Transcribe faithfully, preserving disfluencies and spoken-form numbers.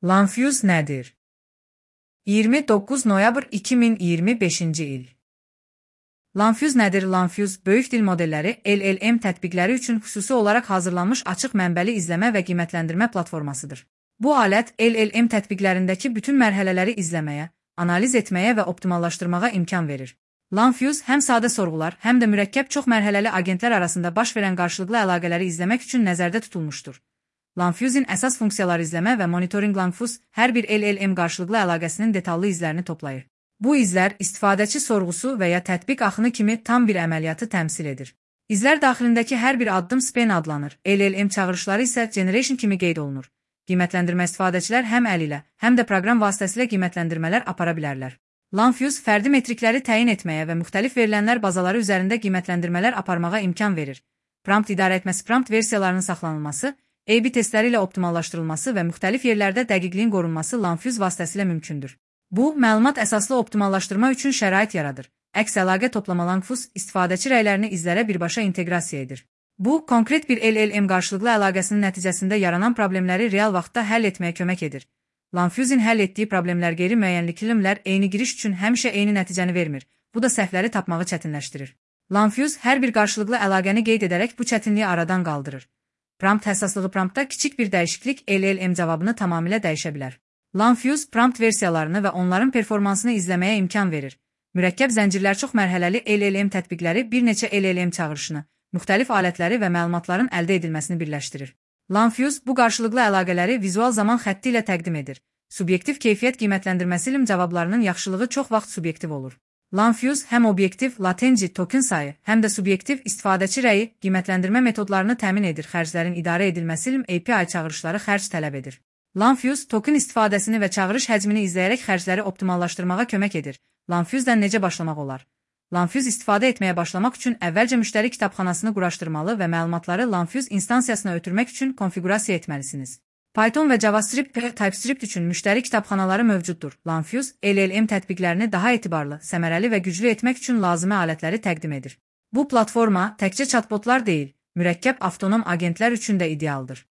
Lanfuse nədir? iyirmi doqquz noyabr iki min iyirmi beşinci il. Lanfuse nədir? Lanfuse, böyük dil modelləri L L M tətbiqləri üçün xüsusi olaraq hazırlanmış açıq mənbəli izləmə və qiymətləndirmə platformasıdır. Bu alət L L M tətbiqlərindəki bütün mərhələləri izləməyə, analiz etməyə və optimallaşdırmağa imkan verir. Lanfuse həm sadə sorğular, həm də mürəkkəb çox mərhələli agentlər arasında baş verən qarşılıqlı əlaqələri izləmək üçün nəzərdə tutulmuşdur. Lanfuse'in əsas funksiyaları izləmə və monitoring. Lanfuse hər bir L L M qarşılıqlı əlaqəsinin detallı izlərini toplayır. Bu izlər istifadəçi sorğusu və ya tətbiq axını kimi tam bir əməliyyatı təmsil edir. İzlər daxilindəki hər bir addım span adlanır. L L M çağırışları isə generation kimi qeyd olunur. Qiymətləndirmə istifadəçilər həm əl ilə, həm də proqram vasitəsilə qiymətləndirmələr apara bilərlər. Lanfuse fərdi metrikləri təyin etməyə və müxtəlif verilənlər bazaları üzərində qiymətləndirmələr aparmağa imkan verir. Prompt idarə etməsi, prompt versiyalarının saxlanılması, A B testləri ilə optimallaşdırılması və müxtəlif yerlərdə dəqiqliyin qorunması Lanfuse vasitəsilə mümkündür. Bu, məlumat əsaslı optimallaşdırma üçün şərait yaradır. Əks əlaqə toplama. Lanfuse istifadəçi rəylərini izlərə birbaşa inteqrasiya edir. Bu, konkret bir L L M qarşılıqlı əlaqəsinin nəticəsində yaranan problemləri real vaxtda həll etməyə kömək edir. Lanfuse'in həll etdiyi problemlər qeyri-müəyyənliklimlər eyni giriş üçün həmişə eyni nəticəni vermir. Bu da səhvləri tapmağı çətinləşdirir. Lanfuse hər bir qarşılıqlı əlaqəni qeyd edərək bu çətinliyi aradan qaldırır. Prompt həssaslığı. Promptda kiçik bir dəyişiklik L L M cavabını tamamilə dəyişə bilər. Lanfuse prompt versiyalarını və onların performansını izləməyə imkan verir. Mürəkkəb zəncirlər çox mərhələli L L M tətbiqləri bir neçə L L M çağırışını, müxtəlif alətləri və məlumatların əldə edilməsini birləşdirir. Lanfuse bu qarşılıqlı əlaqələri vizual zaman xətti ilə təqdim edir. Subyektiv keyfiyyət qiymətləndirməsi ilə cavablarının yaxşılığı çox vaxt subyektiv olur. Lanfuse həm obyektiv latenci token sayı, həm də subyektiv istifadəçi rəyi qiymətləndirmə metodlarını təmin edir. Xərclərin idarə edilməsi ilə A P I çağırışları xərc tələb edir. Lanfuse token istifadəsini və çağırış həcmini izləyərək xərcləri optimallaşdırmağa kömək edir. Lanfuse'dən necə başlamaq olar? Lanfuse istifadə etməyə başlamaq üçün əvvəlcə müştəri kitabxanasını quraşdırmalı və məlumatları Lanfuse instansiyasına ötürmək üçün konfiqurasiya etməlisiniz. Python və JavaScript və TypeScript üçün müştəri kitabxanaları mövcuddur. Lanfuse L L M tətbiqlərini daha etibarlı, səmərəli və güclü etmək üçün lazımi alətləri təqdim edir. Bu platforma təkcə chatbotlar deyil, mürəkkəb avtonom agentlər üçün də idealdır.